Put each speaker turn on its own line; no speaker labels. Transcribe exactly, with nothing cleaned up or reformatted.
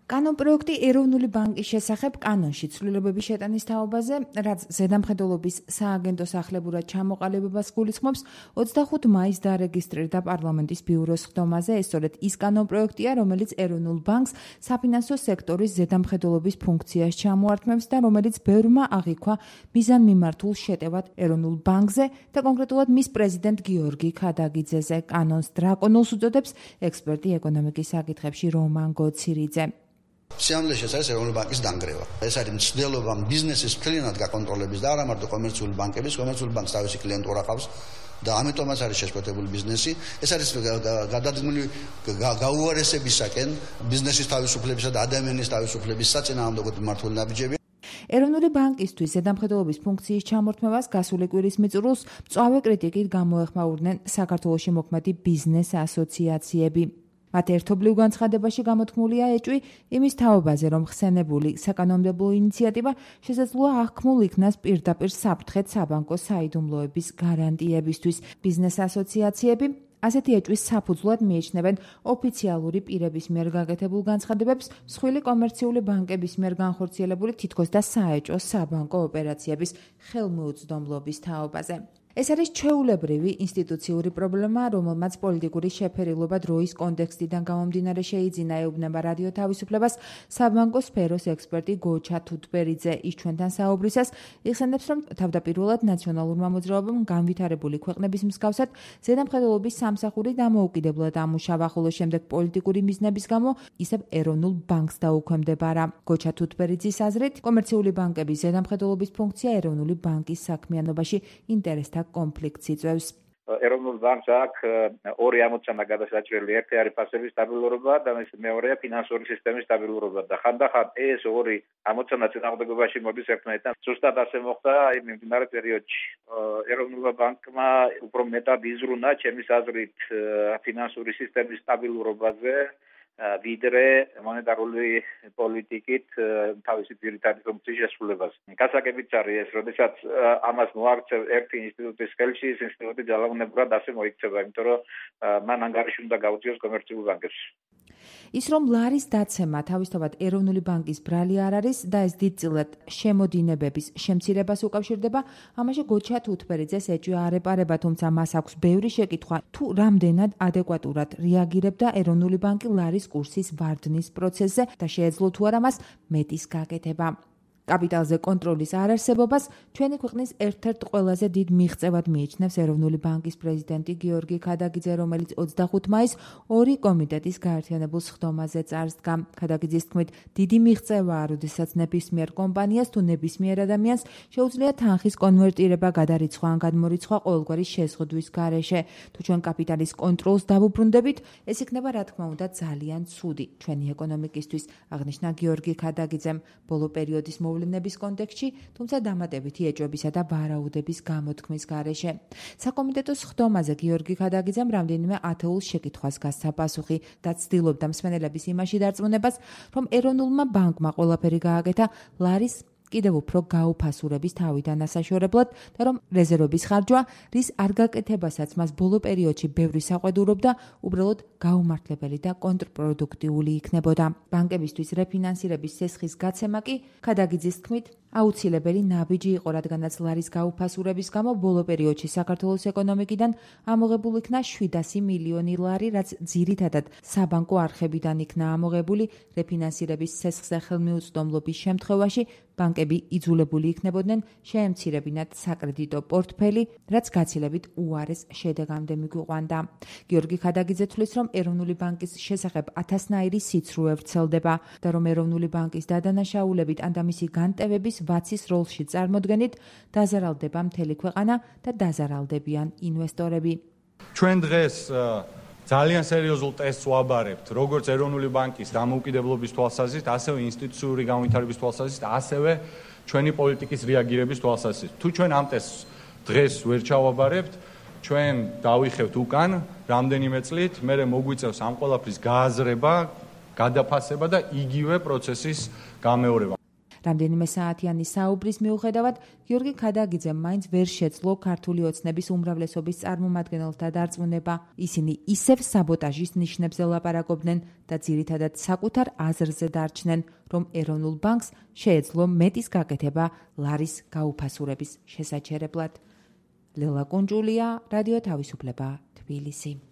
კანონ პროექტი ეროვნული ბანკის შესახებ კანონში ცვლილებების შეტანის თაობაზე, რაც ზედამხედველობის სააგენტო სახლებურად ჩამოყალიბებას გულისხმობს, ოცდახუთი მაისს დარეგისტრირდა პარლამენტის ბიუროს ხდომაზე. ეს სწორედ ის კანონ პროექტია, რომელიც ეროვნულ ბანკს საფინანსო სექტორის ზედამხედველობის ფუნქციას ჩამოართმევს და რომელიც ბევრმა აღიქვა მიზანმიმართულ შეტევად ეროვნულ ბანკზე და კონკრეტულად მის პრეზიდენტ გიორგი ქადაგიძეზე. კანონს დრაკონულს უწოდებს ექსპერტი ეკონომიკის საკითხებში რომან გოცირიძე.
სიამლეში ეს არის ეროვნული ბანკის დანგრევა. ეს არის მცდელობა ბიზნესის მთლიანად გაკონტროლების და არა მარტო კომერციული ბანკების, კომერციული ბანკს თავისი კლიენტურა ყავს და ამიტომაც არის შეშფოთებული ბიზნესი. ეს არის გადადგმული გაუარესებისაკენ ბიზნესის თავისუფლებისა და ადამიანის თავისუფლების საწინააღმდეგო მმართველი ნაბიჯები.
ეროვნული ბანკისთვის ზედამხედველობის ფუნქციის ჩამორთმევას გასული კვირის მიწურულს მწვავე კრიტიკით გამოეხმაურნენ საქართველოში მოქმედი ბიზნეს ასოციაციები. მათ ერთობლივ განცხადებაში გამოთქმულია ეჭვი იმის თაობაზე, რომ ხსენებული საკანონმდებლო ინიციატივა შესაძლოა აღქმულ იქნას პირდაპირ საფრთხედ საბანკო საიდუმლოების გარანტიებისთვის. ბიზნეს ასოციაციები ასეთი ეჭვის საფუძვლად მიიჩნევენ ოფიციალური პირების მიერ გაკეთებულ განცხადებებს მსხვილი კომერციული ბანკების მიერ განხორციელებული თითქოს და საეჭვო საბანკო ოპერაციების ხელმიუწვდომლობის თაობაზე. ეს არის ჩვეულებრივი ინსტიტუციური პრობლემა, რომელმაც პოლიტიკური შეფერილობა დროის კონტექსტიდან გამომდინარე შეიძინა, ეუბნება რადიო თავისუფლებას საბანკო სფეროს ექსპერტი გოჩა თუთბერიძე. ის ჩვენთან საუბრისას იხსენებს, რომ თავდაპირველად ნაციონალურმა მოძრაობამ განვითარებული ქვეყნების მსგავსად ზედამხედველობის სამსახური დამოუკიდებლად ამუშავა, ხოლო შემდეგ პოლიტიკური მიზნების გამო ისევ ეროვნულ ბანკს დაუქვემდებარა. გოჩა თუთბერიძის აზრით, კომერციული ბანკების ზედამხედველობის ფუნქცია ეროვნული ბანკის საქმიანობაში ინტერესთა კონფლიქტს იწვევს.
ეროვნულ ბანკს აქვს ორი ამოცანა გადასაჭრელი. ერთი არის ფასების სტაბილურობა და მეორეა ფინანსური სისტემის სტაბილურობა და ხანდახან ეს ორი ამოცანა წინააღმდეგობაში მოდის ერთმანეთთან. ზუსტად ასე მოხდა იმ მიმდინარე პერიოდში. ეროვნულმა ბანკმა უფრო მეტად იზრუნა ჩემის აზრით ფინანსური სისტემის სტაბილურობაზე ვიდრე მონეტარული პოლიტიკით თავისი ძირითადი ფუნქციის შესრულებას. გასაგებიც არის ეს, როდესაც ამას მოაქცევ ერთი ინსტიტუტის ხელში, ეს ინსტიტუტი ძალაუნებურად ასე მოიქცევა, იმიტომ რომ მან ანგარიში უნდა გაუწიოს კომერციულ ბანკებში.
ის რომ ლარის დაცემა თავისთავად ეროვნული ბანკის ბრალი არ არის და ეს დიდწილად შემოდინებების შემცირებას უკავშირდება, ამაში გოჩა თუთბერიძეს ეჭვი არ ეპარება, თუმცა მას აქვს ბევრი შეკითხვა, თუ რამდენად ადეკვატურად რეაგირებდა ეროვნული ბანკი ლარის კურსის ვარდნის პროცესზე და შეეძლო თუ არა მას მეტის გაკეთება. კაპიტალზე კონტროლის არარსებობას ჩვენი ქვეყნის ერთ-ერთ ყველაზე დიდ მიღწევად მიიჩნევს ეროვნული ბანკის პრეზიდენტი გიორგი ქადაგიძე, რომელიც ოცდახუთი მაისს ორი კომიტეტის გაერთიანებულ სხდომაზე წარსდგა. ქადაგიძის თქმით, დიდი მიღწევაა, როდესაც ნებისმიერ კომპანიას თუ ნებისმიერ ადამიანს შეუძლია თანხის კონვერტირება, გადარიცხვა ან გადმორიცხვა ყოველგვარი შეზღუდვის გარეშე. თუ ჩვენ კაპიტალის კონტროლს დავუბრუნდებით, ეს იქნება რა თქმა უნდა ძალიან ცუდი ჩვენი ეკონომიკისთვის, აღნიშნა გიორგი ქადაგიძემ. ბოლო პერიოდის მოვლენების კონტექსტში, თუმცა დამატებითი ეჭვებისა და ვარაუდების გამოთქმის გარეშე. საკომიტეტო სხდომაზე გიორგი ქადაგიძემ რამდენიმე ათეულ შეკითხვას გასცა პასუხი და ცდილობდა მსმენელების იმაში დარწმუნებას, რომ ეროვნულმა ბანკმა ყველაფერი გააკეთა ლარის კიდევ უფრო გაუფასურების თავიდან ასაშორებლად და რომ რეზერვების ხარჯვა, რის არ გაკეთებასაც მას ბოლო პერიოდში ბევრი საყვედურობდა, უბრალოდ გაუმართლებელი და კონტრპროდუქტიული იქნებოდა. ბანკებისთვის რეფინანსირების სესხის გაცემა კი ქადაგიძის თქმით აუცილებელი ნაბიჯი იყო, რადგანაც ლარის გაუფასურების გამო ბოლო პერიოდში საქართველოს ეკონომიკიდან ამოღებულ იქნა შვიდასი მილიონი ლარი, რაც ძირითადად საბანკო არხებიდან იქნა ამოღებული. რეფინანსირების სესხზე ხელმიუწვდომლობის შემთხვევაში ბანკები იძულებული იქნებოდნენ შეემცირებინათ საკრედიტო პორტფელი, რაც გაცილებით უარეს შედეგამდე მიგვიყვანდა. გიორგი ქადაგიძე თვლის, რომ ეროვნული ბანკის შესახებ ათასნაირი სიცრუე ვრცელდება და რომ ეროვნული ბანკის დადანაშაულებით ან და მისი განტევების ვაცის როლში წარმოდგენით დაზარალდება მთელი ქვეყანა და დაზარალდებიან ინვესტორები.
ჩვენ დღეს ძალიან სერიოზულ ტესტს ვაბარებთ, როგორც ეროვნული ბანკის დამოუკიდებლობის თვალსაზრისით, ასევე ინსტიტუციური განვითარების თვალსაზრისით, ასევე ჩვენი პოლიტიკის რეაგირების თვალსაზრისით. თუ ჩვენ ამ ტესტს დღეს ვერ ჩავაბარებთ, ჩვენ დავიხევთ უკან რამდენიმე წლით, მერე მოგვიწევს ამ ყველაფრის გააზრება, გადაფასება და იგივე პროცესის გამეორება.
რამდენიმე საათიანი საუბრის მიუხედავად, გიორგი ქადაგიძემ მაინც ვერ შეძლო ქართული ოცნების უმრავლესობის წარმომადგენელთა დარწმუნება. ისინი ისევ საბოტაჟის ნიშნებზე ლაპარაკობდნენ და ძირითადად საკუთარ აზრზე დარჩნენ, რომ ეროვნულ ბანკს შეეძლო მეტის გაკეთება ლარის გაუფასურების შესაჩერებლად. ლელა კუნჯულია, რადიო თავისუფლება, თბილისი.